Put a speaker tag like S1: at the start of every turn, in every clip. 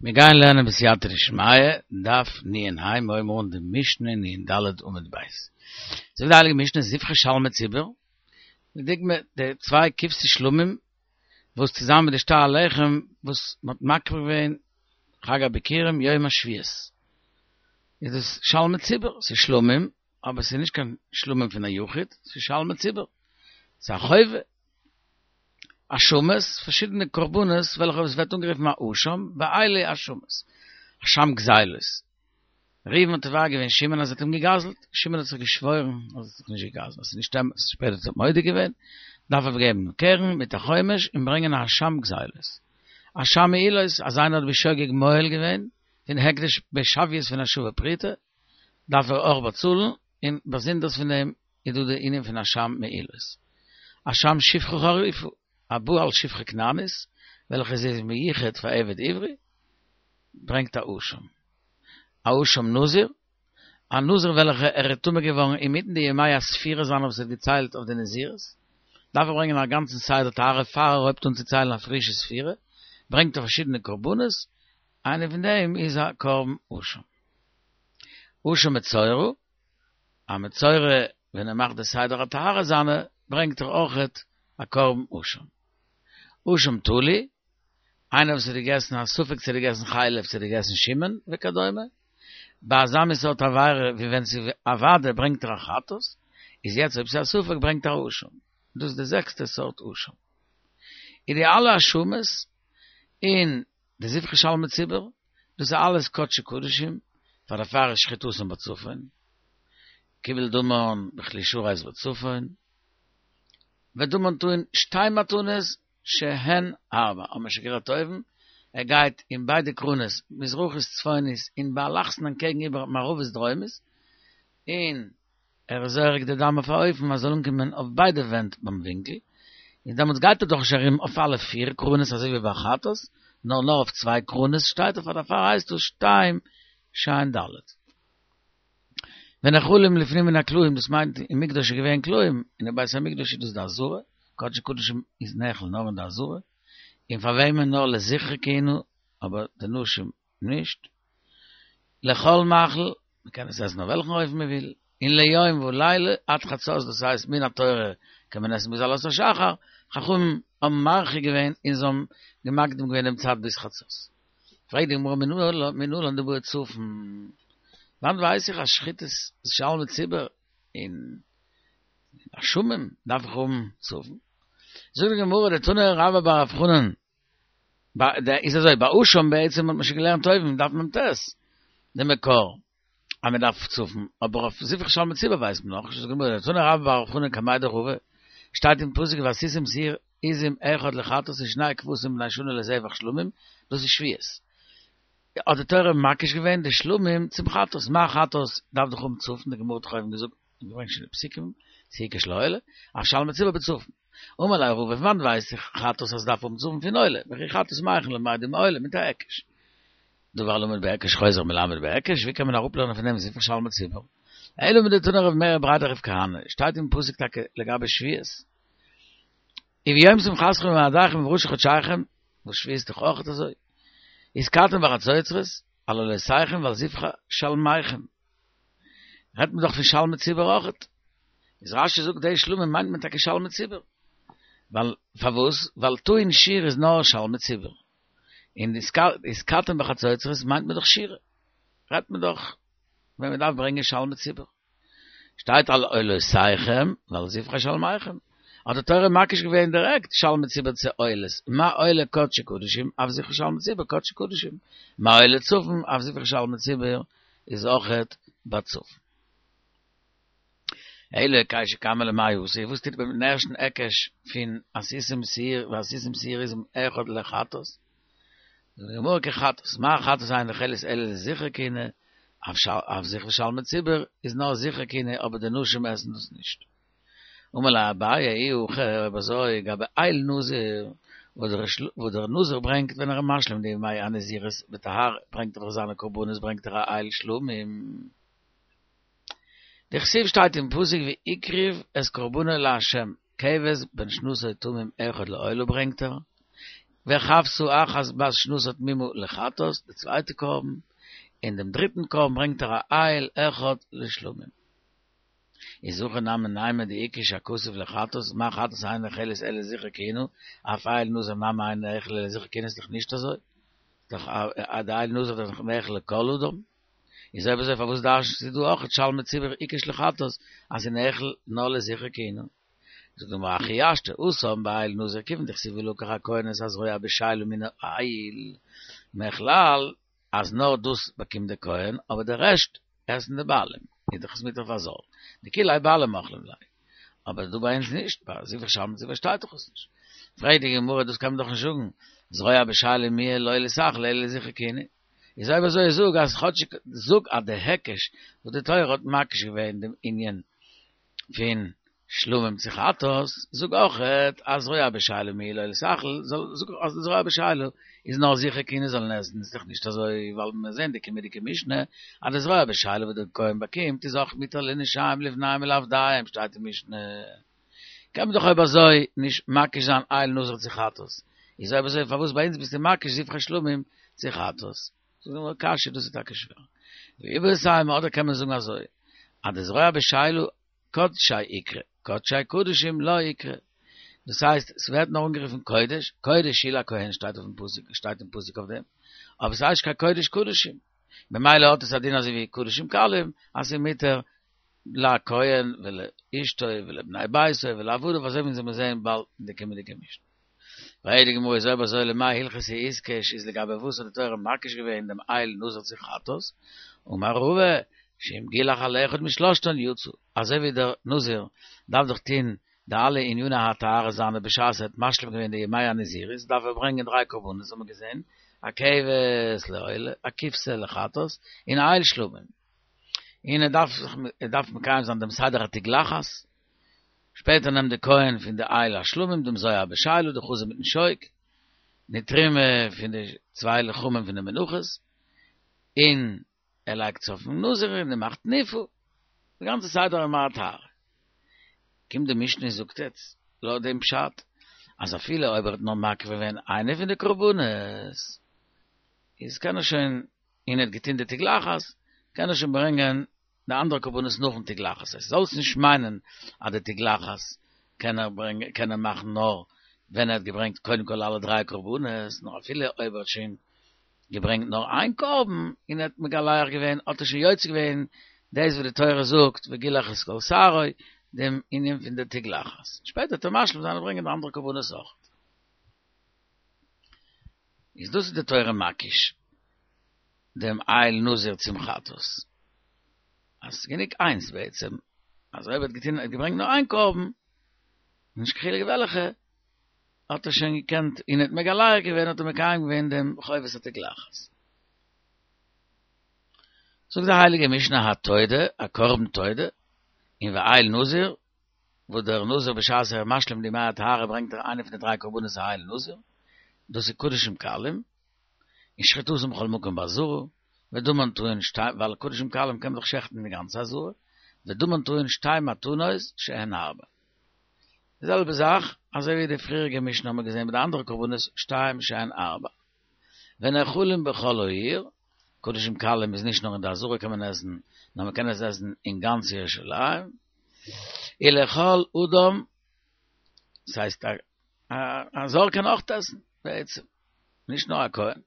S1: מיר גייען לערנען בסייעתא דשמיא, דף נ"ה, מיר הויבן אן די משנה נ"ד עמוד ב'. זאגט די הייליגע משנה זבחי שלמי ציבור, לדוגמא די צוויי כבשי שלמים וואס צוזאמען מיט די שתי הלחם וואס מען האט מקריב געווען חג הביכורים יום השביעית, איז דאס שלמי ציבור, ס'איז שלמים אבער ס'איז נישט קיין שלמים פון א יחיד, ס'איז שלמי ציבור, ס'איז א חובה. אשמות, פארשידענע קרבנות וועלכע עס ווערט אנגערופן א אשם, ואלו אשמות. אשם גזילות. ראובן האט תובע געווען שמעון אז ער האט אים געגזלט, שמעון האט זיך געשוואוירן אז ער האט זיך נישט געגזלט, אז ס'איז נישט אמת, שפעטער האט ער מודה געווען, דארף ער געבן קרן מיט א חומש און ברענגען א אשם גזילות. אשם מעילות, אז איינער האט בשוגג מועל געווען פון הקדש בשוויות פון א שווה פרוטה, דארף ער אויך באצאלן, און באזונדערס פון דעם איז דא די ענין פון אשם מעילות. אשם שפחה חרופה, הבא על שפחה כנענית, וועלכע זי איז מיוחד פאר עבד עברי, ברענגט א אשם. א אשם נזיר, א נזיר וועלכע ער איז טמא געווארן אינמיטן די ימי הספירה זיינע וואס ער האט געציילט אויף די נזירות, דארף ער ברענגען א גאנצן סדר טהרה פאר ער הויבט אן צו ציילן א פרישע ספירה, ברענגט ער פארשידענע קרבנות, איינע פון דעם איז א קרבן אשם. אשם מצורע, א מצורע ווען ער מאכט די סדר הטהרה זיינע ברענגט ער אויכעט א קרבן אשם. אשם תלוי, איינער וואס האט געגעסן א ספק צו ער האט געגעסן חלב צו ער האט געגעסן שומן וכדומה, ביי אזא מין סארט עבירה ווי ווען ס'איז א ודאי ברענגט ער א חטאת, איז יעצט אויב ס'איז א ספק ברענגט ער א אשם. דאס איז די זעקסטע סארט אשם. און די אלע אשמות און די זבחי שלמי ציבור, דאס איז אלעס קדשי קדשים, פאר דערפאר איז שחיטתן בצפון, קיבל דמן בכלי שרת בצפון, ודמן טעון שתי מתנות שהן ארבע, האבן מיר שוין גערעדט אויבן, ער גייט אין ביידע קרנות, מזרחית צפונית און באלכסון אנטקעגן איבער מערבית דרומית, און ער איז זורק די דם אויף א אופן אז זאל אנקומען אויף ביידע ווענט ביים ווינקל, און דעמאלטס גייט ער דאך נישט ארום אויף אלע פיר קרנות אזוי ווי ביי חטאת, נאר נאר אויף צוויי קרנות שטייט ער פאר דערפאר הייסט דאס שתיים שהן ד'. ונאכלים לפנים מן הקלעים דאס מיינט אין מקדש איז געווען קלעים, און אין בית המקדש איז דאס די עזרה, קדשי קדשים איז נאכל נאר אין די עזרה, און פאר וועמען נאר לזכרי כהונה, אבער די נשים נישט. לכל מאכל, מען קען עס עסן אויף וועלכן אופן מען וויל, און ליום ולילה עד חצות, דאס הייסט מן התורה קען מען עסן ביז עלות השחר, חכמים האבן מרחיק געווען און זיי האבן מקדים געווען דעם צייט ביז חצות. פרעגט די גמרא מנלן דבעי צפון, וואנעט ווייס איך אז שחיטת שלמי ציבור און אשמים דארף איך האבן צפון? זאגט די גמרא דתני רבה בר רב חנן איז אזוי, ביי אשם בעצם האט מען שוין געלערנט אויבן, דף מ"ט, די מקור אז מען דארף צפון, אבער אויף זבחי שלמי ציבור ווייסט מען נאכנישט, זאגט די גמרא, דתני רבה בר רב חנן קמיה דרבא, שטייט אין פסוק ועשיתם שעיר עזים אחד לחטאת ושני כבשים בני שנה לזבח שלמים, דאס איז שבועות. האט די תורה מקיש געווען די שלמים צום חטאת, מה חטאת דארף דאך האבן צפון, די גמרא האט דאך אויבן געזאגט און געברענגט שוין די פסוקים, ס'איז הוקש לעולה, אף שלמי ציבור בצפון. אמר ליה רבא, פון וואנעט ווייס איך חטאת אז ס'דארף האבן צפון פון עולה, וכי חטאת מהיכן למדו מעולה מיט א היקש. דבר הלמד בהיקש חוזר מלמד בהיקש, ווי קען מען אראפלערנען פון דעם זבחי שלמי ציבור? אלא מדתני רב מרי בריה דרב כהנא, שטייט אין פסוק טאקע לגבי שבועות, וביום שמחתכם ובמועדיכם ובראשי חדשיכם, וואס שבועות איז דאך אויך אזוי, ותקעתם בחצוצרות, על עולותיכם ועל זבחי שלמיכם. רעדט מען דאך פון שלמי ציבור אויכעט. איז רש"י זאגט די שלמים מיינט מען טאקע שלמי ציבור. ווייל פארוואס? ווייל טעון שירה איז נאר שלמי ציבור. און ותקעתם בחצוצרות מיינט מען דאך שירה. רעדט מען דאך ווען מען דארף ברענגען שלמי ציבור. שטייט על עולותיכם ועל זבחי שלמיכם. האט די תורה מקיש געווען דירעקט שלמי ציבור צו עולות, מה עולה קדשי קדשים אף זבחי שלמי ציבור קדשי קדשים, מה עולה צפון אף זבחי שלמי ציבור איז אויכעט בצפון. אלא היקשא קמא למאי אתא, וואס טוט מען מיטן ערשטן היקש פון עשיתם שעיר ועשיתם שעיר עזים אחד לחטאת? זאגט די גמרא כחטאת, מה חטאת אינה נאכלת אלא לזכרי כהונה, אף זבחי שלמי ציבור איז נאר זכרי כהונה אבער די נשים עסן דאס נישט. אמר ליה אביי אי הכי אויב אזוי גבי איל נזיר וואס דער נזיר ברענגט ווען ער איז משלים די ימי הנזירות בטהרה ברענגט ער דאך זיינע קרבנות ברענגט ער א איל שלמים. דכתיב שטייט אין פסוק והקריב את קרבנו לה' כבש בן שנתו תמים אחד לעולה ברענגט ער. וכבשה אחת בת שנתה תמימה לחטאת, די צווייטע קרבן, און דעם דריטן קרבן ברענגט ער א איל אחד לשלמים. איז הכי נמי נימא דהקיש הכתוב לחטאת, מה חטאת אינה נאכלת אלא לזכר כהונה, אף איל נזיר נמי אינו נאכל אלא לזכר כהונה איז דאך נישט אזוי, דאך די איל נזיר איז דאך נאכל לכל אדם, איז אויב אזוי פארוואס דרש'נסטו דא אויך שלמי ציבור הקיש לחטאת אז ס'איז נאכל נאר לזכר כהונה? זאגט די גמרא הכי השתא התם באיל נזיר כיוון דכתיב ולקח הכהן את הזרוע בשלה מן האיל מכלל אז נאר דאס באקומט די כהן אבער די רעשט עסן די בעלים איז דאך עס מותר פאר זר דכוליה בעלים אכלי ליה אבער דא ביי אונז נישט ביי זבחי שלמי ציבור שטייט דאך עס נישט פרעגט די גמרא דאס קען מען דאך נישט זאגן זרוע בשלה מיהא לא ליתאכל אלא לזכר כהונה איז אויב אזוי זאג אז כאטשיג זאג אז די היקש וואס די תורה האט מקיש געווען דעם ענין פון שלמים צו חטאת, זאג אויכעט אז זרוע בשלה מיהא לא ליתאכל, זאג אז די זרוע בשלה איז נאר זכר כהונה זאלן עסן, איז דאך נישט אזוי ווייל מיר זעהן די קומעדיגע משנה אז די זרוע בשלה וואס די כהן באקומט איז אויך מותר לנשיהם לבניהם ולעבדיהם שטייט אין משנה, קען מען דאך אויב אזוי נישט מקיש זיין איל נזיר צו חטאת, איז אויב אזוי פארוואס ביי אונז ביסטו מקיש זבחי שלמים צו חטאת? זאגט די גמרא קשיא דאס איז טאקע שווער. ואיבעית אימא אדער קען מען זאגן אזוי אז די זרוע בשלה קדשי איקרי, קדשי קדשים לא איקרי. דאס הייסט ס'ווערט נאר אנגערופן קודש, קודש הוא לכהן שטייט אויפן פסוק, שטייט אין פסוק אויף דעם, אבער ס'הייסט נישט קיין קודש קדשים. ממילא האט עס א דין אזוי ווי קדשים קלים, אז ס'איז מותר לכהן ולאשתו ולבני ביתו ולעבדיו אזוי ווי אונז וועלן זעהן באלד אין די קומענדיגע משנה. פרעגט די גמרא איז אויב אזוי למאי הלכתא איתקש איז לגבי וואס האט די תורה מקיש געווען דעם איל נזיר צו חטאת, אמר רבא שאם גילח על אחד משלושתן יצא, אזוי ווי דער נזיר דארף דאך טוהן די אלע עניני הטהרה זיינע בשעת ער האט משלים געווען די ימי הנזירות דארף ער ברענגען דריי קרבנות האט מען געזען, א כבש לעולה, א כבשה לחטאת, און א איל שלמים. און ער דארף זיך ער דארף מקיים זיין דעם סדר התגלחת, שפעטער נעמט די כהן פון די איל השלמים דעם זרוע בשלה די חזה מיטן שוק, די תרומה פון די צוויי לחמים פון די מנחות, און ער לייגט עס אויפן נזיר און ער מאכט נאפו, די גאנצע סדר ימי הטהרה. קומט די משנה און זאגט יעצט, לויט דעם פשט, אז אפילו אויב ער האט נאר מקריב געווען איינע פון די קרבנות, איז קען ער שוין, און ער האט געטון די תגלחת, קען ער שוין ברענגען די אנדערע קרבנות נאכן תגלחת, עס זאלסט נישט מיינען אז די תגלחת קען ער ברענגען קען ער מאכן נאר ווען ער האט געברענגט קודם כל אלע דריי קרבנות, נאר אפילו אויב ער האט שוין געברענגט נאר איין קרבן און ער האט מגלח געווען האט ער שוין יוצא געווען דאס וואס די תורה זאגט וגילח את כל שערו, דעם ענין פון די תגלחת, שפעטער וועט ער משלים זיין און ברענגען די אנדערע קרבנות אויך. איז דאס איז די תורה מקיש דעם איל נזיר צום חטאת, אז ס'איז גענוג איינס בעצם, אז אויב ער האט געטון, ער האט געברענגט נאר איין קרבן, נישט קיין חילוק וועלכע, האט ער שוין געקענט, און ער האט מגלח געווען, האט ער מקיים געווען דעם חובת התגלחת. זאגט די הייליגע משנה התודה, א קרבן תודה, און ואיל נזיר, וואס דער נזיר בשעת ער איז משלים די ימי הטהרה ברענגט ער איינע פון די דריי קרבנות א איל נזיר, דאס איז קדשים קלים, און שחיטתן בכל מקום בעזרה, ודמן טעון שתי, ווייל קדשים קלים קען מען דאך שעכטן אין די גאנצע עזרה, ודמן טעון שתי מתנות שהן ארבע. די זעלבע זאך אזוי ווי די פריעריגע משנה האבן מיר געזען ביי די אנדערע קרבנות שתיים שהן ארבע. ונאכלים בכל העיר, קדשים קלים איז נישט נאר אין די עזרה קען מען עסן, נאר מען קען עס עסן אין גאנץ ירושלים, ולכל אדם, ס'הייסט א זר קען אויך עסן בעצם, נישט נאר א כהן.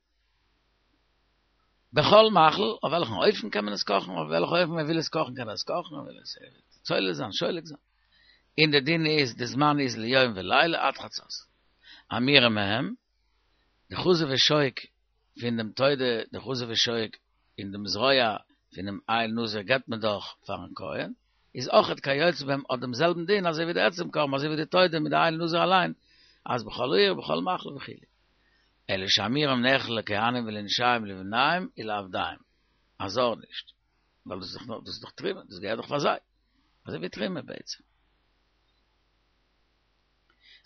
S1: בכל מאכל, אויף וועלכן אופן קען מען עס קאכן, אויף וועלכן אופן מען וויל עס קאכן קען ער עס קאכן, ער וויל עס צולת זיין, שולק זיין. און די דין איז, די זמן איז ליום ולילה עד חצות. אמירה מהם, די חזה ושוק פון דעם תודה, די חזה ושוק און דעם זרוע פונעם איל נזיר געבט מען דאך פארן כהן, איז אויכעט כיוצא בהם האט דעם זעלבן דין אזוי ווי די עצם קרבן אזוי ווי די תודה מיט די איל נזיר אליין, אז בכל העיר בכל מאכל וכו'. אלא שאמירם נאכל לכהנים ולנשיהם ולבניהם ולעבדיהם, א זר נישט, ווייל דאס איז דאך דאס איז דאך תרומה, דאס געהערט דאך פאר זיי, אזוי ווי תרומה בעצם.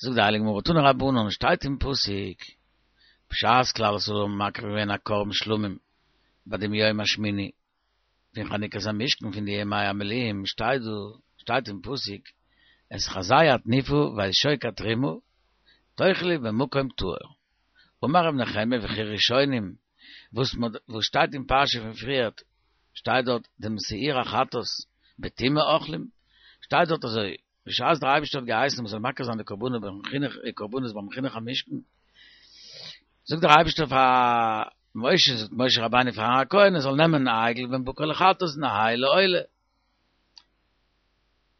S1: זאגט די הייליגע גמרא תנו רבנן שטייט אין פסוק בשעת כלל ישראל האבן מקריב געווען א קרבן שלמים ביי דעם יום השמיני פון חנוכת המשכן פון די ימי המילואים שטייט דא שטייט אין פסוק את חזה התנופה ואת שוק התרומה תאכלו במקום טהור. אמר ר' נחמיה וכי ראשונים, וואס וואס שטייט אין פרשה פון פריערט, שטייט דארט דעם שעיר החטאת בטומאה אוכלים, שטייט דארט אזוי, בשעת דער אייבערשטער האט געהייסן מ'זאל מקריב זיין די קרבנות ביים חינוך קרבנות ביים חינוך המשכן, זאגט דער אייבערשטער פאר משה, זאגט משה רבינו פאר אהרן הכהן ער זאל נעמען א עגל בן בקר לחטאת און א איל לעולה.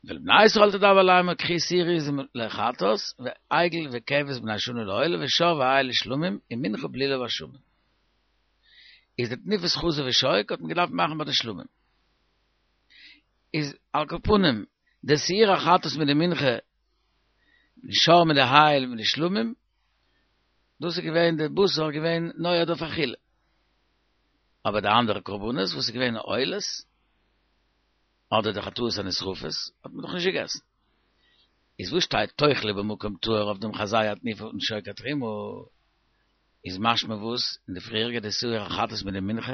S1: ואל בני ישראל תדבר לאמר קחו שעיר עזים לחטאת ועגל וכבש בני שנה לעולה ושור ואיל לשלמים ומנחה בלולה בשמן. איז די תנופת חזה ושוק האט מען געדארפט מאכן ביי די שלמים. איז על כל פנים די שעיר החטאת מיט די מנחה, די שור מיט די איל מיט די שלמים, דאס איז געווען די בשר געווען נועד אויף אכילה. אבער די אנדערע קרבנות וואס איז געווען עולות, אדער די חטאות הנשרפות, האט מען דאך נישט געגעסן. איז וואס שטייט תאכלו במקום טהור אויף דעם חזה התנופה און שוק התרומה? איז משמע וואס אין די פריעריגע די שעיר החטאת מיט די מנחה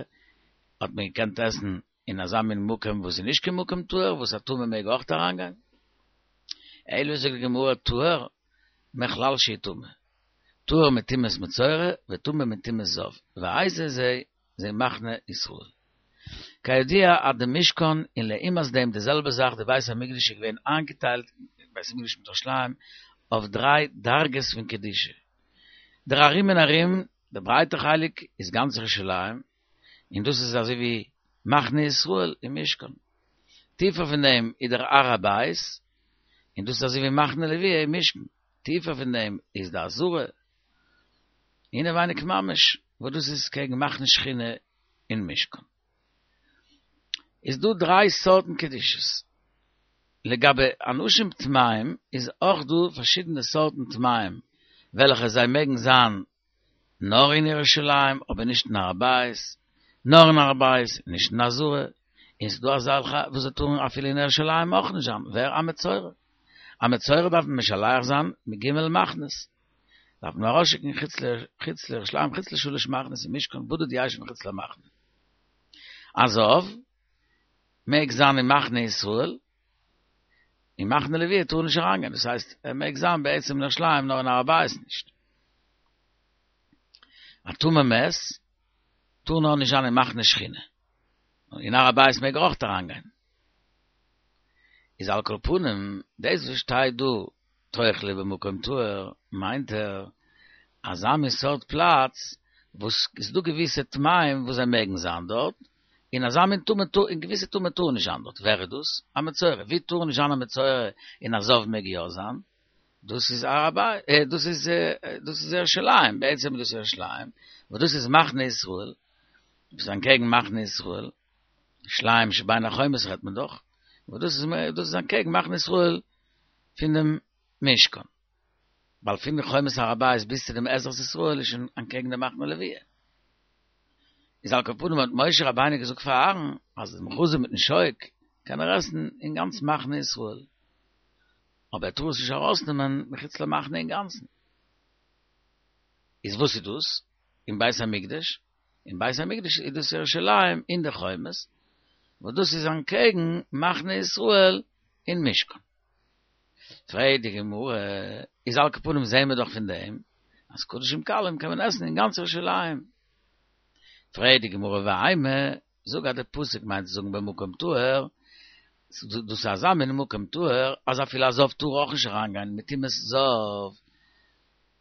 S1: האט מען געקענט עסן אין אזא מין מקום וואס איז נישט קיין מקום טהור וואס א טמא מעג אויך אריינגיין? אלא זאגט די גמרא טהור מכלל שהוא טמא, טהור מטומאת מצורע וטמא מטומאת זב, ואיזה זה זה מחנה ישראל. כידוע אז די משכן און לעומת דעם די זעלבע זאך די בית המקדש איז געווען איינגעטיילט, בית המקדש מיט ירושלים, אויף דריי דרגות פון קדושה. דער ארום און ארום, די ברייטע חלק איז גאנץ ירושלים, און דאס איז אזוי ווי מחנה ישראל און משכן. טיפער פון דעם איז דער הר הבית, און דאס איז אזוי ווי מחנה לוויה און משכן. טיפער פון דעם איז די עזרה, אינעווייניג ממש, וואס דאס איז קעגן מחנה שכינה און משכן. איז דא דריי סארטן קדושות. לגבי אנשים טמאים איז אויך דא פארשידענע סארטן טמאים וועלכע זיי מעגן זיין נאר אין ירושלים אבער נישט אין הר הבית, נאר אין הר הבית נישט אין עזרה, און ס'דא אזעלכע וואס זיי טארן אפילו אין ירושלים אויך נישט זיין, ווער? א מצורע. א מצורע דארף מען משלח זיין מג' מחנות, דארף מען ארויסשיקן חוץ לירושלים חוץ לשלש מחנות און משכן בדד ישב מחוץ למחנה. א זב מעג זיין אין מחנה ישראל, אין מחנה לוויה טאר נישט אריינגיין, דאס הייסט ער מעג זיין בעצם אין ירושלים נאר אין הר הבית נישט. א טמא מת טאר נאר נישט זיין אין מחנה שכינה, אין הר הבית מעג ער אויך אריינגיין. איז על כל פנים דאס וואס שטייט דא תאכלו במקום טהור מיינט ער אזא מין סארט פלאץ וואס איז דא געוויסע טמאים וואס זיי מעגן זיין דארט, און אזא מין טמא טאר און געוויסע טמא טאר נישט זיין דארט, ווער איז דאס? א מצורע, ווי טאר נישט זיין א מצורע און א זב מעג יא זיין? דאס איז הר הבית, דאס איז דאס איז ירושלים, בעצם איז דאס ירושלים, וואס דאס איז מחנה ישראל, דאס איז אנטקעגן מחנה ישראל, ירושלים שבין החומות רעדט מען דאך, וואס דאס איז דאס איז אנטקעגן מחנה ישראל פון דעם משכן, ווייל פון די חומת הר הבית ביז צו דעם עזרת ישראל איז שוין אנטקעגן דעם מחנה לוויה. איז על כל פנים האט משה רבינו געזאגט פאר אהרן אז דעם חזה מיטן שוק קען ער עסן אין גאנץ מחנה ישראל, אבער ער טאר עס נישט ארויסנעמען מחוץ למחנה אינגאנצן. איז וואס איז דאס אין בית המקדש? אין בית המקדש איז דאס ירושלים אין די חומות, וואס דאס איז אנטקעגן מחנה ישראל אין משכן. פרעגט די גמרא, איז על כל פנים זעהן מיר דאך פון דעם אז קדשים קלים קען מען עסן אין גאנץ ירושלים. פרעגט די גמרא ואימא, זאג אז די פסוק מיינט צו זאגן במקום טהור, דאס איז אזא מין מקום טהור אז אפילו א זב טאר אויך נישט אריינגיין מטומאת זב,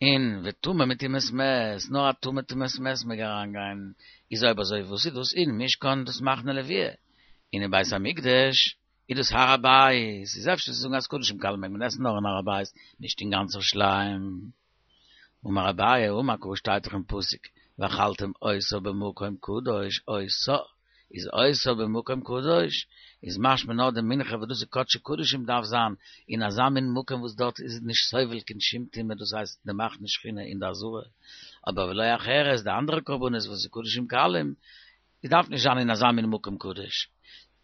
S1: און וטמא מטומאת מת, נאר א טמא טומאת מת מעג אריינגיין, איז אויב אזוי וואס איז דאס אין משכן דאס מחנה לוויה, און אין בית המקדש איז דאס הר הבית, איז אפשר צו זאגן אז קדשים קלים מעג מען עסן נאר אין הר הבית, נישט אין גאנץ ירושלים. אמר אביי, אמר קרא שטייט דאך אין פסוק, ואכלתם אותה במקום קדוש, אותה, איז אותה במקום קדוש, איז משמע נאר די מנחה וואס דאס איז קדשי קדשים דארף זיין אין אזא מין מקום וואס דארט איז נישט סובל קיין שום טומאה דאס הייסט די מחנה שכינה אין די עזרה, אבער ולא אחרת די אנדערע קרבנות וואס איז קדשים קלים איז דארף נישט זיין אין אזא מין מקום קדוש,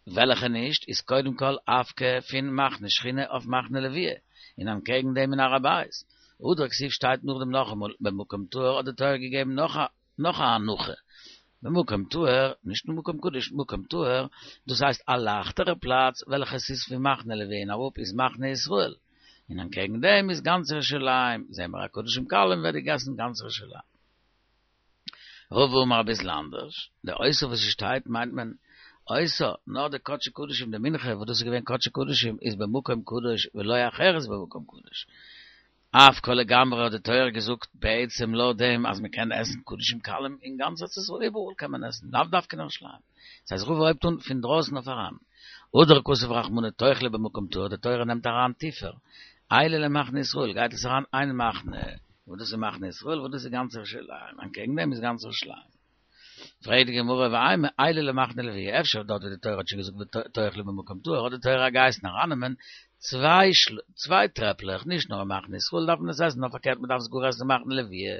S1: וועלכע נישט איז קודם כל אפקע פון מחנה שכינה אויף מחנה לוויה, און אנטקעגן דעם אין הר הבית. הדרא כתיב שטייט נאכדעם נאכאמאל במקום טהור האט די תורה געגעבן נאך א נאך א הנחה, במקום טהור, נישט נאר מקום קדוש, מקום טהור, דאס הייסט א לייכטערע פלאץ וועלכע ס'איז פון מחנה לוויה און אראפ איז מחנה ישראל, און אנטקעגן דעם איז גאנץ ירושלים, זעהן מיר אז קדשים קלים ווערט געגעסן גאנץ ירושלים. רבא אמר אביסל אנדערש, די אותה וואס עס שטייט מיינט מען אותה, נאר די קדשי קדשים די מנחה וואס דאס איז געווען קדשי קדשים איז במקום קדוש ולא אחרת במקום קדוש. אאפקה לגמרי האט די תורה געזאגט בעצם לויט דעם אז מען קען עסן קדשים קלים אין גאנץ ארץ ישראל איבעראל קען מען עסן לאו דווקא אין ירושלים. דאס הייסט רבא הויבט אן פון דרויסן אויף אריין. הדר כתב רחמנא תאכלו במקום טהור די תורה נעמט אריין טיפער. עייליה למחנה ישראל גייט עס אריין איין מחנה וואס דאס איז מחנה ישראל וואס דאס איז גאנץ ירושלים אנטקעגן דעם איז גאנץ ירושלים. פרעגט די גמרא ואימא עייליה למחנה לוויה, אפשר דארט ווי די תורה האט שוין געזאגט תאכלו במקום טהור האט די תורה געהייסן ארייננעמען צוויי טרעפלעך, נישט נאר אין מחנה ישראל דארף מען עס עסן נאר פארקערט מען דארף עס גאר עסן אין מחנה לוויה,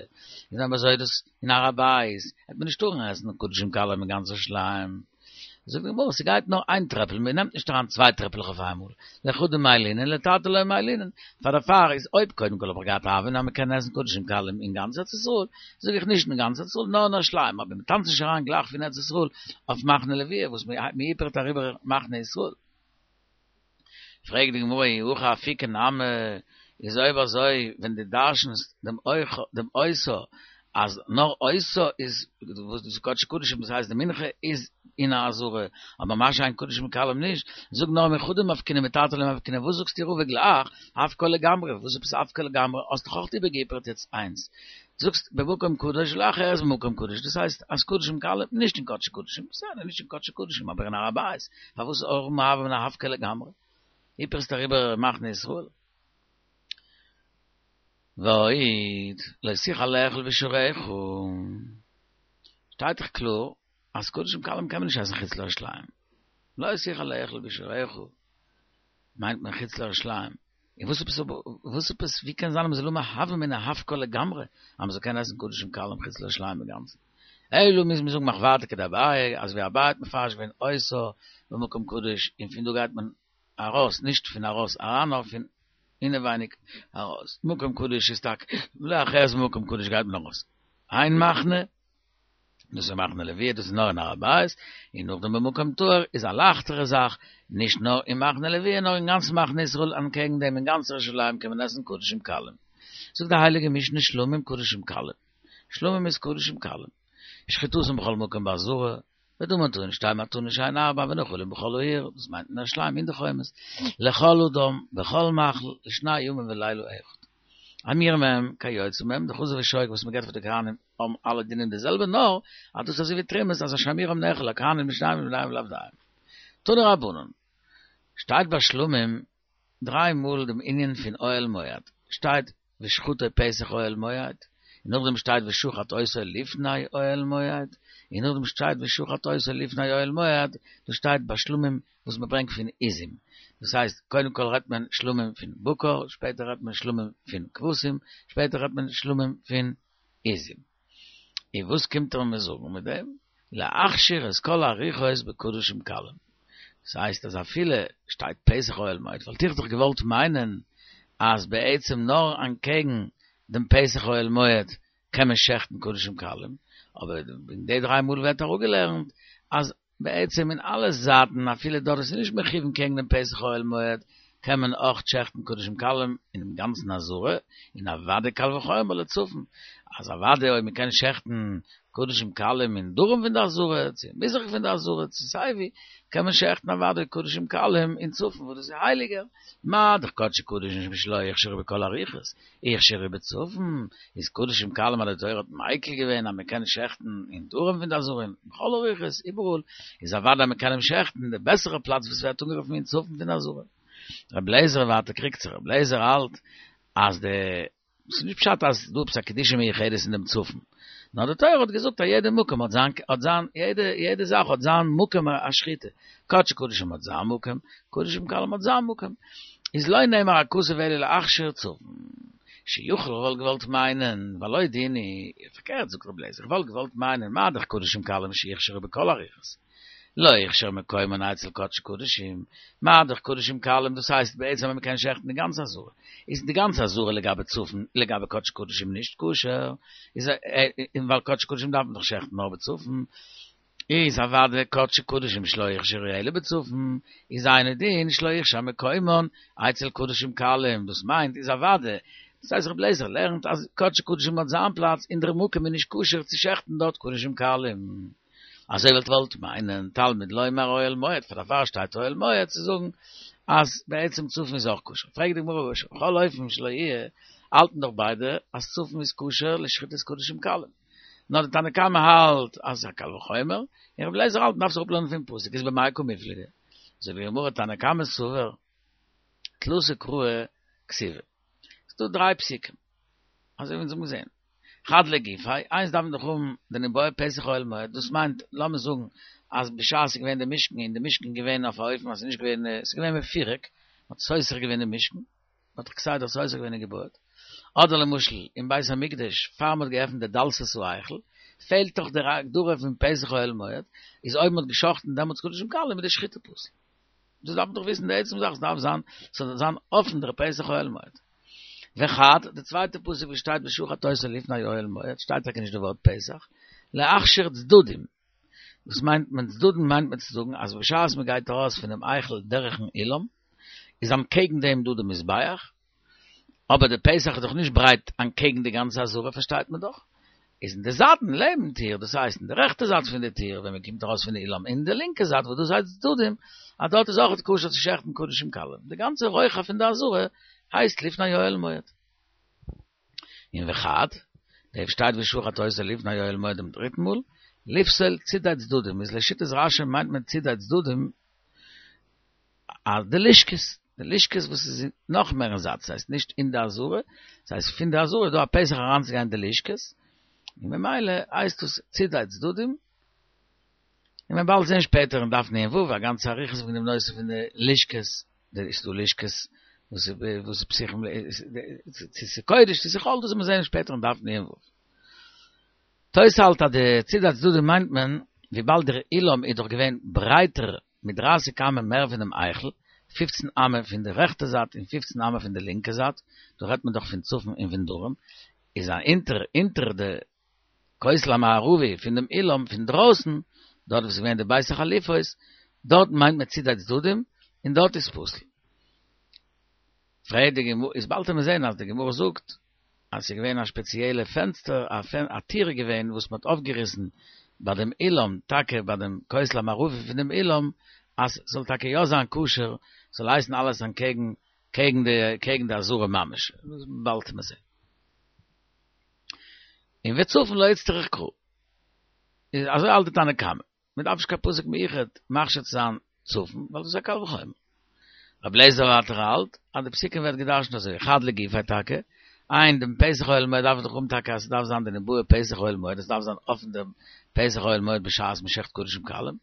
S1: איז אויב אזוי דאס אין הר הבית העט מען נישט טארן עסן קדשים קלים אין גאנץ ירושלים. זאגט די גמרא ס'גייט נאר איין טרעפל, מען נעמט נישט אריין צוויי טרעפלעך אויף איינמאל, לחדא מעיילינן לתרתי לא מעיילינן, פאר דערפאר איז אויב קודם כל האב איך געהאט א הוה אמינא אז מען קען עסן קדשים קלים אין גאנץ ארץ ישראל, זאג איך נישט אין גאנץ ארץ ישראל נאר אין ירושלים, אבער מען טאנצט נישט אריין גלייך פון ארץ ישראל אויף מחנה לוויה וואס מען היפערט אריבער מחנה ישראל. פרעגט די גמרא אי הכי אפוקי נמי, איז אויב אזוי ווען דו דרש'נסט דעם דעם אותה אז נאר אותה איז וואס דאס איז קדשי קדשים דאס הייסט די מנחה איז אין עזרה, אבער מה שאין קדשים קלים נישט, זאג נאר מחדא מפקינן מתרתי לא מפקינן וואס זאגסטו רבא גלייך אפקה לגמרי, וואס עפעס אפקה לגמרי, האסט דאך אויך איבערגעהיפערט יעצט איינס. זאגסט במקום קדוש ולא אחרת במקום קדוש, דאס הייסט אז קדשים קלים נישט אין קדשי קדשים, בסדר נישט אין קדשי קדשים אבער אין הר הבית, פארוואס האבן הוה אמינא אפקה לגמרי? היפערסט אריבער מחנה ישראל? ועוד, לא תוכל לאכול בשעריך, שטייט דאך קלאר אז קדשים קלים קען מען נישט עסן חוץ לירושלים, לא תוכל לאכול בשעריך מיינט מען חוץ לירושלים, און וואס עפעס וואס עפעס ווי קען זיין אז מ'זאל האבן א הוה אמינא אפקה לגמרי אז מ'זאל קענען עסן קדשים קלים חוץ לירושלים אינגאנצן? אלא מוז מען זאגן מחוורתא כדאביי אזוי ווי אביי האט מפרש געווען אותה במקום קדוש און פון דא גייט מען ארויס נישט פון ארויס אריין נאר פון אינעווייניג ארויס מקום קדוש איז טאקע ולא אחרת במקום קדוש גייט מען ארויס איין מחנה דאס איז מחנה לוויה, דאס איז נאר אין הר הבית, און נאכדעם במקום טהור איז א לייכטערע זאך, נישט נאר אין מחנה לוויה נאר אין גאנץ מחנה ישראל אנטקעגן דעם אין גאנץ ירושלים קען מען עסן קדשים קלים. זאגט די הייליגע משנה שלמים קדשים קלים, שלמים איז קדשים קלים, שחיטתן בכל מקום בעזרה, ודמן טעון שתי מתנות שהן ארבע ונאכלין בכל העיר, דאס מיינט אין ירושלים אין די חומות, לכל אדם בכל מאכל לשני ימים ולילה אחד. המיר מהם כיוצא מהם, די חזה ושוק וואס מען געבט פאר די כהנים האבן אלע דינים די זעלבע נאר אז דאס איז אזוי ווי תרומות אז אשר אמירם נאכל לכהנים לשניהם לבניהם ולעבדיהם. תנו רבנן, שטייט ביי שלמים דריי מאל דעם ענין פון אוהל מועד, שטייט ושחטו פתח אוהל מועד, און נאכדעם שטייט ושחט אותו לפני אוהל מועד, און נאכדעם שטייט ושחט אותו לפני אוהל מועד, דאס שטייט ביי שלמים וואס מען ברענגט פון עזים, דאס הייסט קודם כל רעדט מען שלמים פון בקר, שפעטער רעדט מען שלמים פון כבשים, שפעטער רעדט מען שלמים פון עזים. און וואס קומט ער מיר זאגן מיט דעם? להכשיר את כל הרוחות בקדשים קלים. דאס הייסט אז אפילו שטייט פתח אוהל מועד וואלט איך דאך געוואלט מיינען אז בעצם נאר אנטקעגן דעם פתח אוהל מועד קען מען שעכטן קדשים קלים, אבער אין די דריי מאל ווערט אראפגעלערנט אז בעצם אין אלע זייטן אפילו דארט וואס איז נישט מכוון קעגן דעם פתח אוהל מועד קען מען אויך שעכטן קדשים קלים אינעם גאנצן עזרה, און אוודאי קל וחומר לצפון, אז אוודאי אויב מען קען שעכטן קדשים קלים אין דרום פון די עזרה, צו אין מזרח פון די עזרה, צו סיי ווי, קען מען שעכטן אוודאי קדשים קלים אין צפון וואס דאס איז הייליגער, מה דאך קדשי קדשים שלא הוכשרו בכל הרוחות, הוכשרו בצפון, איז קדשים קלים אז די תורה האט מיקל געווען אז מען קען שעכטן אין דרום פון די עזרה און בכל הרוחות איבעראל, איז אוודאי מען קען אים שעכטן אין די בעסערע פלאץ וואס ווערט אנגערופן אין צפון פון די עזרה. רבי אליעזר ווייטער קריגט זיך, רבי אליעזר האלט אז די, ס'איז נישט פשט אז ס'דא עפעס א קדושה מיוחדת אין דעם צפון, נאר די תורה האט געזאגט אז יעדע מקום האט זיין, האט זיין, יעדע, יעדע זאך האט זיין מקום השחיטה, קדשי קדשים האט זיין מקום, קדשים קלים האט זיין מקום, איז לא נאמר הכתוב אלא להכשיר צפון, שיכול וואלט געוואלט מיינען, והלא דין הוא, פארקערט זאגט רבי אליעזר, איך וואלט געוואלט מיינען מה דאך קדשים קלים שהוכשרו בכל הרוחות, לא הוכשר מקומן אצל קדשי קדשים, מה דאך קדשים קלים דאס הייסט בעצם אז מ'קען שעכטן די גאנצע עזרה, איז די גאנצע עזרה לגבי צפון לגבי קדשי קדשים נישט כשר, איז און ווייל קדשי קדשים דארף מען דאך שעכטן נאר בצפון, איז אוודאי קדשי קדשים שלא הוכשרו אלא בצפון, איז אינו דין שלא הוכשר מקומן אצל קדשים קלים, דאס מיינט איז אוודאי. דאס הייסט רבי אליעזר לערנט אז קדשי קדשים האט זיין פלאץ און דער מקום איז נישט כשר צו שעכטן דארט קדשים קלים. אזוי וואלט געוואלט מיינען תלמוד לומר אוהל מועד, פאר דערפאר שטייט אוהל מועד צו זאגן אז בעצם צפון איז אויך כשר. פרעגט די גמרא בכל אופן שלא יהיה, האלטן דאך ביידע אז צפון איז כשר לשחיטת קדשים קלים. נאר די תנא קמא האלט אז ס'איז א קל וחומר, און רבי אליעזר האלט מ'דארף זיך אפלערנען פון פסוק, איז במאי קא מיפלגי? זאגט די גמרא תנא קמא סבר תלתא קראי כתיבי. ס'דא דריי פסוקים, אזוי ווי אונז האבן געזען. חד לגופיה, איינס דארף מען דאך האבן די ניבעי פתח אוהל מועד, דאס מיינט, לאמיר זאגן אז בשעת ס'איז געווען די משכן און די משכן איז געווען אויף א אופן אז ס'איז נישט געווען, ס'איז געווען מפורק, מ'האט סותר געווען די משכן, מ'האט דאך כסדר סותר געווען און געבויעט. אדער למשל אין בית המקדש פאר מ'האט געעפנט די דלתות ההיכל, פעלט דאך דער הגדרה פון פתח אוהל מועד, איז אויב מ'האט גע'שחט'ן דעמאלטס קדשים קלים איז די שחיטה פסול. דאס דארף מען דאך וויסן די עצם זאך, ס'דארף זיין, ס'זאל זיין אפן דער פתח אוהל מועד. וחד, די צווייטע פסוק וואס שטייט ושחט אותו לפני אוהל מועד, שטייט טאקע נישט די ווארט פתח, להכשיר צדדים. וואס מיינט מען צדדים מיינט מען צו זאגן אז בשעת מען גייט ארויס פונעם היכל דורכן אולם, איז אנטקעגן דעם דא די מזבח, אבער די פתח איז דאך נישט ברייט אנטקעגן די גאנצע עזרה פארשטייט מען דאך, איז אין די זייטן לעבן טיר, דאס הייסט אין די רעכטע זייט פון די טיר ווען מען קומט ארויס פון די אולם, אין די לינקע זייט וואס דאס הייסט צדדים, אז דארט איז אויכעט כשר צו שעכטן קדשים קלים, די גאנצע רוחב פון די עזרה הייסט לפני אוהל מועד. און וחד, דא שטייט ושחט אותו לפני אוהל מועד דעם דריטן מאל, לפסול צידי צדדים, איז לשיטת רש"י מיינט מען צידי צדדים אז די לשכות, די לשכות וואס איז נאך מער אין זייט, ס'הייסט נישט אין די עזרה, ס'הייסט פון די עזרה איז דא א פתח אריינצוגיין אין די לשכות, און ממילא הייסט דאס צידי צדדים, און מ'וועט באלד זען שפעטער אין דף נ"ו א גאנצע אריכות וועגן דעם נושא פון די לשכות, די ס'איז דא לשכות וואס איז וואס איז פתוחים צו ס'איז קודש צו ס'איז חול דאס וועט מען זען שפעטער אין דף נ"ו. תוס' האלט אז די צידי צדדים מיינט מען וויבאלד דער אולם איז דאך געווען ברייטער מיט דרייסיג אמה מער פונעם היכל, פופצן אמה פון די רעכטע זייט און פופצן אמה פון די לינקע זייט, דא רעדט מען דאך פון צפון און פון דרום, איז א אונטער אונטער די כותל המערבי פון דעם אולם פון דרויסן, דארט וואו ס'איז געווען די בית החליפות, דארט מיינט מען צידי צדדים, און דארט איז פסול. פרעגט די גמרא, איז באלד וועט מען זען אז די גמרא זאגט אז ס'איז געווען א שפעציעלע פענסטער, א טיר איז געווען וואס מ'האט אויפגעריסן ביי דעם אולם, טאקע ביי דעם כותל המערבי פון דעם אולם, אז ס'זאל טאקע יא זיין כשר, ס'זאל הייסן אלעס אנטקעגן קעגן די קעגן די עזרה ממש, באלד וועט מען זען. און וצפון לא איצטריך קרא. איז אזוי האלט די תנא קמא. מען דארף נישט קיין פסוק מיוחד מכשיר צו זיין צפון, ווייל דאס איז א קל וחומר. רבי אליעזר ווייטער האלט אז די פסוקים ווערט געדרשנט אזוי, חד לגופיה טאקע, איין דעם פתח אוהל מועד דארף מען דאך האבן טאקע אז ס'דארף זיין די ניבעי פתח אוהל מועד, עס דארף זיין אפן דעם פתח אוהל מועד בשעת מ'שעכט קדשים קלים.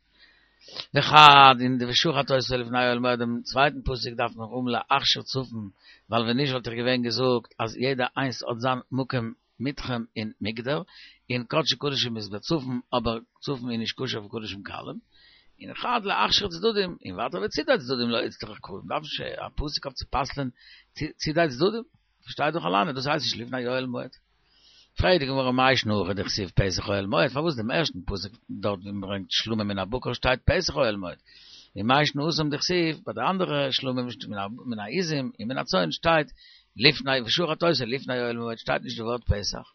S1: וחד אין די ושחט אותו לפני אוהל מועד דעם צווייטן פסוק דארף מען האבן להכשיר צפון, ווייל ווען נישט וואלט איך געווען געזאגט אז יעדע איינס האט זיין מקום מתחם און מוגדר, און קדשי קדשים איז בצפון אבער צפון איז נישט כשר פאר קדשים קלים, און חד להכשיר צדדים, און ווייטער וצידי צדדים לא איצטריך קרא, מ'דארף נישט א פסוק אויף צו פסל'ען צידי צדדים, פארשטייט דאך אליין אז דאס הייסט נישט לפני אוהל מועד. פרעגט די גמרא מאי שנא הכא דכתיב פתח אוהל מועד, פארוואס דעם ערשטן פסוק דארט ווי מ'ברענגט שלמים מן הבקר שטייט פתח אוהל מועד, און מאי שנא התם דכתיב ביי די אנדערע שלמים מן העזים און מן הצאן שטייט לפני ושחט אותו לפני אוהל מועד שטייט נישט די ווארט פתח.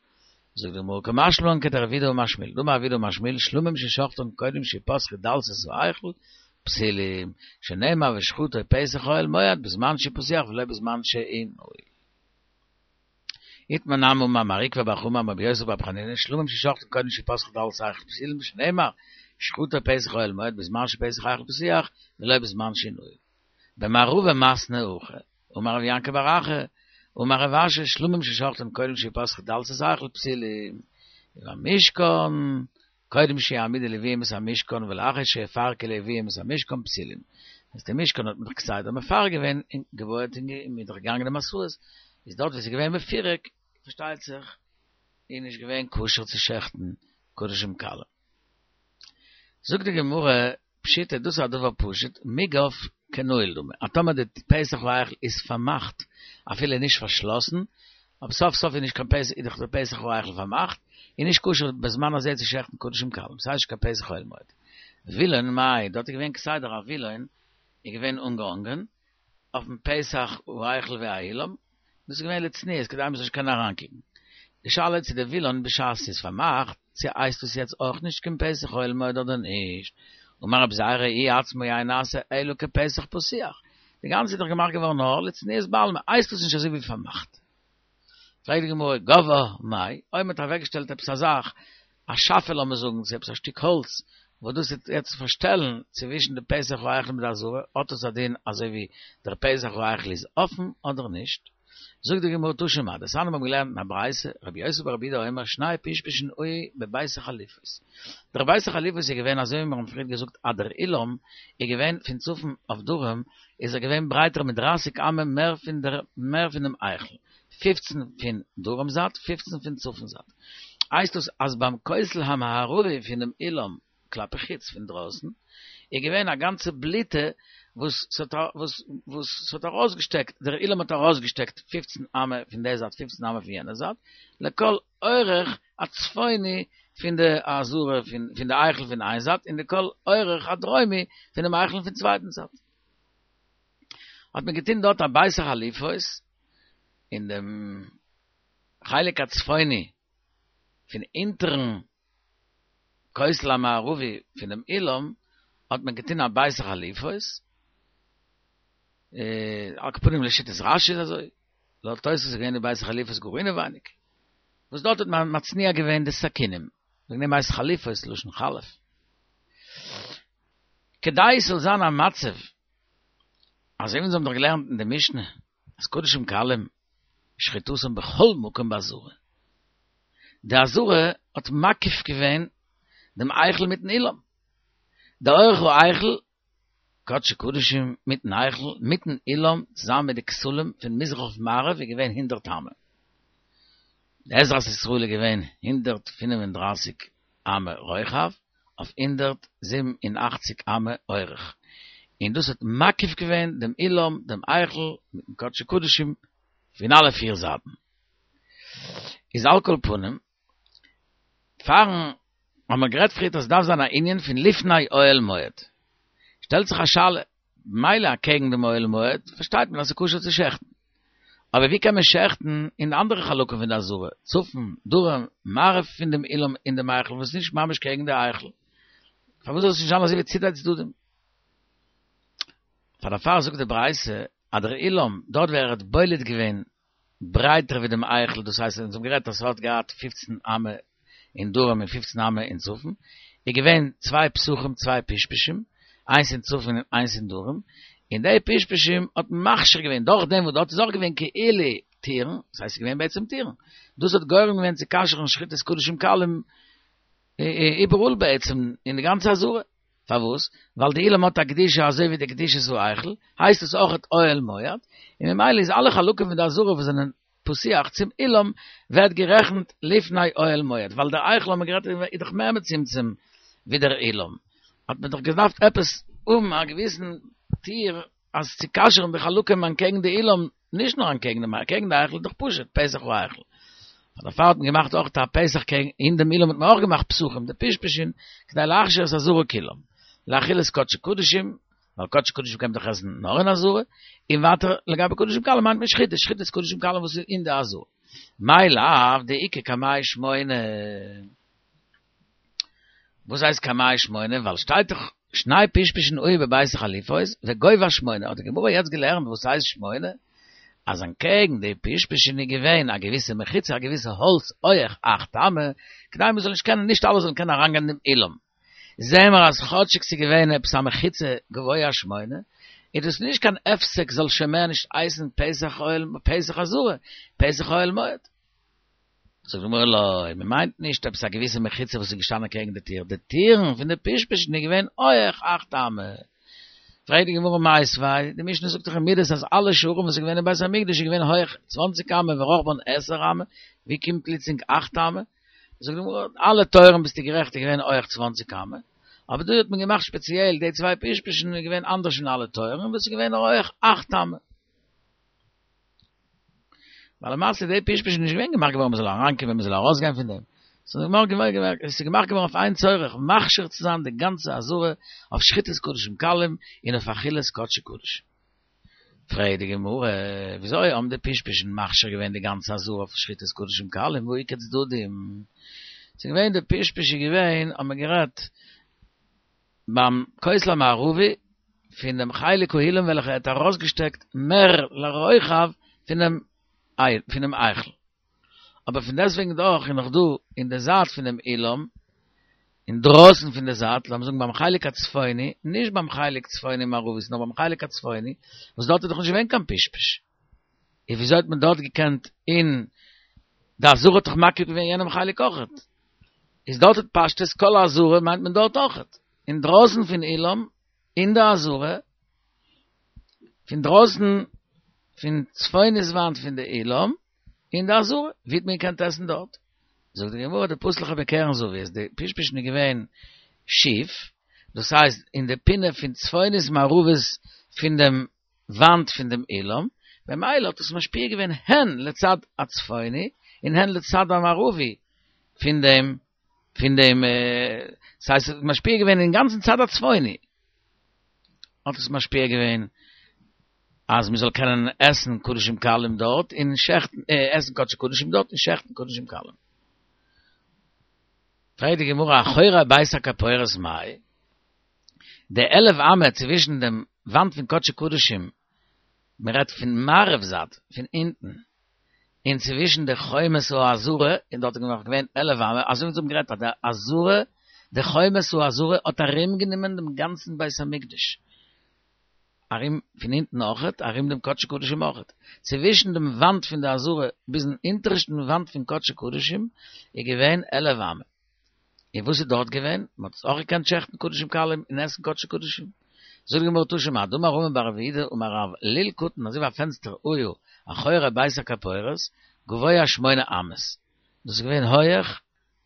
S1: זאגט די גמרא קא משמע לן כדרב יהודה אמר שמואל, דאמר רב יהודה אמר שמואל שלמים ששחטן קודם שיפתחו דלתות ההיכל פסולים, שנאמר ושחטו פתח אוהל מועד בזמן שפתוח ולא בזמן שנעול. איתמר נמי אמר מר עוקבא בר חמא אמר רבי יוסף בר חנינא שלמים ששחטן קודם שיפתחו דלתות ההיכל פסולים שנאמר ושחטו פתח אוהל מועד בזמן שפתח ההיכל פתוח ולא בזמן שנעול. במערבא מתנו הכי אמר רב יעקב בר אחא אמר רב אשי שלמים ששחטן קודם שיפתחו דלתות ההיכל פסולים ובמשכן קודם שיעמידו לוויים את המשכן ולאחר שיפרקו לוויים את המשכן פסולים. אז די משכן האט מען דאך כסדר מפרק געווען און געבויעט און מ'איז דאך געגאנגען די מסעות, איז דארט ווי ס'איז געווען מפורק, פארשטייט זיך, איז נישט געווען כשר צו שעכטן קדשים קלים. זאגט די גמרא, פשיטא, דאס איז א דבר פשוט, מוגף כנעול דמי, אז טאמער די פתח ההיכל איז פארמאכט, אפילו נישט פארשלאסן, אבער סוף סוף איז נישט קיין פתח, איז דאך די פתח ההיכל פארמאכט, איז נישט כשר בזמן הזה צו שעכטן קדשים קלים, ס'הייסט נישט קיין פתח אוהל מועד. וילון מאי, דארט איז געווען כסדר א וילון, איז געווען אנגעהאנגען אויפן פתח ההיכל והאולם, דאס איז געווען לצניעות כדי מ'זאל נישט קענען אריינקוקן. די שאלה איז צו די וילון בשעת ס'איז פארמאכט, צו הייסט דאס יעצט אויך נישט קיין פתח אוהל מועד אדער נישט. אמר רבי זירא הוא עצמו אין נעשה אלא כפתח פתוח. די גאנצע איז דאך געמאכט געווארן נאר לצניעות בעלמא, הייסט דאס נישט אזוי ווי פארמאכט. פרעגט די גמרא, גובהה מאי, אויב מ'האט אוועקגעשטעלט עפעס א זאך, א שאפע לאמיר זאגן, צו עפעס א שטיק האלץ, וואס דאס וועט יעצט פארשטעלן צווישן די פתח ההיכל מיט די עזרה, האט עס א דין אזוי ווי דער פתח ההיכל איז אפן אדער נישט? זאגט די גמרא תא שמע, דתניא מיר האבן געלערנט אין א ברייתא, רבי יוסי ברבי יהודה אומר שני פשפשין היו בבית החליפות. דער בית החליפות איז געווען אזוי ווי מיר האבן פריער געזאגט אז דער אולם איז געווען פון צפון אויף דרום איז ער געווען ברייטער מיט דרייסיג אמה מער פון דער מער פון דעם היכל, פופצן פון דרום זייט פופצן פון צפון זייט. הייסט דאס אז ביים כותל המערבי פונעם אולם כלפי חוץ פון דרויסן איז געווען א גאנצע בליטע וואס ס'האט וואס וואס ס'האט ארויסגעשטעקט דער אולם האט ארויסגעשטעקט פופצן אמה פון די זייט פופצן אמה פון יענע זייט לכל אורך הצפוני פון די עזרה פון פון די היכל פון איין זייט און לכל אורך הדרומי פונעם היכל פון צווייטן זייט האט מען געטון דארט א בית החליפות אין דעם חלק הצפוני פון אונטערן כותל המערבי פונעם אולם האט מען געטון א בית החליפות, על כל פנים לשיטת רש"י איז אזוי, לויט תוספות איז געווען די בית החליפות גאר אינעווייניג, וואס דארט האט מען מצניע געווען די סכינים, וועגן דעם הייסט חליפות לשון חלף. כדי עס זאל זיין א מצב, אזוי ווי אונז האבן דאך געלערנט אין די משנה, אז קדשים קלים שחיטתם בכל מקום בעזרה. די עזרה האט מקיף געווען דעם היכל מיטן אולם. די אורך ההיכל, קדשי קדשים מיטן היכל, מיטן אולם, צוזאמען מיט די כתלים פון מזרח אויף מערב איז געווען הונדערט אמה. די עזרת ישראל איז געווען 135 אמה רוחב אויף 187 אמה אורך. און דאס האט מקיף געווען דעם אולם, דעם היכל, מיטן קדשי קדשים, פון אלע פיר זייטן. איז על כל פנים, פארן האבן מיר גערעדט פריערט אז עס דארף זיין א ענין פון לפני אוהל מועד. שטעלט זיך א שאלה, מילא אקעגן דעם אוהל מועד פארשטייט מען אז ס'איז כשר צו שעכטן. אבער ווי קען מען שעכטן אין די אנדערע חלקים פון די עזרה, צפון, דרום, מערב פון דעם אולם און דעם היכל וואס איז נישט ממש קעגן די היכל? פארוואס זאל עס נישט זיין אזוי ווי צידי צדדים? פאר דערפאר זאגט די ברייתא אז דער אולם, דארט ווי ער האט בולט געווען ברייטער ווי דעם היכל, דאס הייסט אונז האבן גערעדט אז ס'האט געהאט פופצן אמה אין דרום און פופצן אמה אין צפון, איז געווען צוויי פתחים צוויי פשפשים, איינס אין צפון און איינס אין דרום, און די פשפשים האט מכשיר געווען דורך דעם וואס דארט איז אויך געווען כאילו טירן, דאס הייסט ס'איז געווען בעצם טירן, דאס האט גורם געווען צו כשר'ן שחיטת קדשים קלים איבעראל בעצם אין די גאנצע עזרה. פארוואס? ווייל די אולם האט א קדושה אזוי ווי די קדושת ההיכל, הייסט עס אויכעט אוהל מועד, און ממילא איז אלע חלקים פון די עזרה וואס זענען פתוח צום אולם ווערט גערעכנט לפני אוהל מועד, ווייל דער היכל האבן מיר גערעדט איז דאך מער מצומצם ווי דער אולם, האט מען דאך געדארפט עפעס האבן א געוויסן טיר אז צו כשר'ן די חלקים אנטקעגן די אולם, נישט נאר אנטקעגן דעם אקעגן די היכל איז דאך פשוט פתח ההיכל. דערפאר האט מען געמאכט אויך א פתח קעגן אין דעם אולם האט מען אויך געמאכט פתחים די פשפשין כדי להכשיר את העזרה כולם לאכילת קדשי קדשים ווייל קדשי קדשים קען מען דאך עסן נאר אין עזרה און ווייטער לגבי קדשים קלים מיינט מען שחיטה שחיטת קדשים קלים וואס איז אין די עזרה מאי לאו דאיכא קמייהו שמונה וואס הייסט קמייהו שמונה? ווייל שטייט דאך שני פשפשין היו בבית החליפות וגובה שמונה, האט די גמרא יעצט געלערנט וואס הייסט שמונה? אז אנטקעגן די פשפשין איז געווען א געוויסע מחיצה א געוויסע האלץ הויעך אכט אמה, כדי מען זאל נישט קענען נישט אלע זאלן קענען אריינגיין אין דעם אולם. זעהן מיר אז כאטשיג ס'איז געווען עפעס א מחיצה גבוה שמונה, איז דאס נישט קיין הפסק זאל שוין מער נישט הייסן פתח אוהל פתח עזרה, פתח אוהל מועד. זאגט די גמרא לא, מען מיינט נישט עפעס א געוויסע מחיצה וואס איז געשטאנען קעגן די טיר, די טירן פון די פשפשין איז געווען הויעך אכט אמה. פרעגט די גמרא מיתיבי, די משנה זאגט דאך אין מידות אז אלע שערים וואס איז געווען אין בית המקדש איז געווען הויעך צוואנציג אמה ורחבן עשר אמה, ווי קומט פלוצלינג אכט אמה? זאגט די גמרא, אלע טויערן ביסטו גערעכט איז געווען הויעך צוואנציג אמה, אבער דא האט מען געמאכט שפעציעל די צוויי פשפשין איז געווען אנדערש פון אלע טויערן וואס איז געווען הויעך אכט אמה. ווייל למעשה די פשפש איז נישט געווען געמאכט געווארן מ'זאל אריינקומען מ'זאל ארויסגיין פון דעם, ס'איז געמאכט געווארן עס איז געמאכט געווארן אויף איין צורך, מכשיר צו זיין די גאנצע עזרה אויף שחיטת קדשים קלים און אויף אכילת קדשי קדשים. פרעגט די גמרא, וויאזוי האבן די פשפשין מכשיר געווען די גאנצע עזרה אויף שחיטת קדשים קלים והא איכא צדדים? ס'איז געווען די פשפש איז געווען האט מען גערעדט ביים כותל המערבי פון דעם חלק האולם וועלכע האט ארויסגעשטעקט מער לרוחב פונעם פונעם היכל. אבער פון דעסטוועגן דאך איז נאך דא אין די זייט פונעם אולם, אינדרויסן פון די זייט, לאמיר זאגן ביים חלק הצפוני, נישט ביים חלק צפוני מערבית, נאר ביים חלק הצפוני, וואס דארט איז דאך נישט געווען קיין פשפש. איז וויאזוי האט מען דארט געקענט אין די עזרה האט דאך מקיף געווען יענעם חלק אויכעט. איז דארט האט פשטות כל העזרה מיינט מען דארט אויכעט. אינדרויסן פון אולם, אין די עזרה, פון דרויסן פון צפונית וואנט פון די אולם, אין די עזרה, ווי האט מען געקענט עסן דארט? זאגט די גמרא דפתו ליה בקרן זווית, די פשפשין איז געווען שיף, דאס הייסט אין די פינה פון צפונית מערבית פון דעם וואנט פון דעם אולם, במילא האט עס משפיע געווען הן לצד הצפוני און הן לצד המערבי פון דעם פון דעם, ס'הייסט עס האט משפיע געווען אין גאנצן צד הצפוני, האט עס משפיע געווען אז מען זאל קענען עסן קדשים קלים דארט און שעכטן, עסן קדשי קדשים דארט און שעכטן קדשים קלים. פרעגט די גמרא אחורי בית הכפורת מאי? די עלף אמה צווישן דעם וואנט פון קדשי קדשים, מען רעדט פון מערב זייט, פון אונטן, און צווישן די חומת העזרה, און דארט איז נאך געווען עלף אמה, אזוי ווי אונז האבן גערעדט אז די עזרה, די חומת העזרה האט ארום גענומען דעם גאנצן בית המקדש, ארום פון אונטן אויכעט, ארום דעם קדשי קדשים אויכעט, צווישן דעם וואנט פון די עזרה ביזן אונטערשטן וואנט פון קדשי קדשים איז געווען עלף אמה. און וואס איז דארט געווען? מען האט אויך געקענט שעכטן קדשים קלים און עסן קדשי קדשים. זאגט די גמרא תא שמע, דאמר רמי בר רב יהודה אמר רב לול קטן אזוי ווי א פענסטער היה אחורי בית הכפורת גבוה שמונה אמות, דאס איז געווען הויעך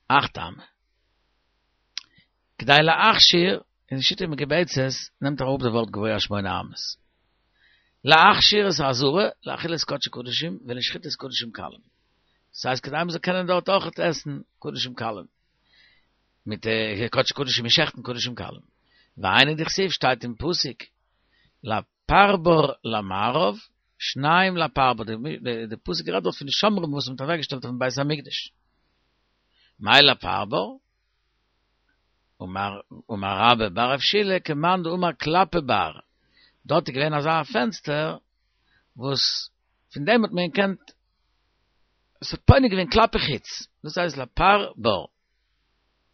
S1: אכט אמה. כדי להכשיר, אין שיטה מקובצת נעמט אראפ די ווארט גבוה שמונה אמות. להכשיר את העזרה לאכילת קדשי קדשים ולשחיטת קדשים קלים. ס'הייסט כדי מ'זאל קענען דארט אויכעט עסן קדשים קלים. מיט קדשי קדשים און שעכטן קדשים קלים. והיינו דכתיב שטייט אין פסוק לפרבר למערב שניים לפרבר, די פסוק רעדט דארט פון די שומרים וואס מ'האט אוועקגעשטעלט אויפן בית המקדש. מאי לפרבר? אמר רבה בר רב שילא כמאן דאמר כלפי בר, דארט איז געווען אזא פענסטער וואס פון דעם האט מען געקענט, עס האט פונה געווען כלפי חוץ, דאס הייסט לפרבר.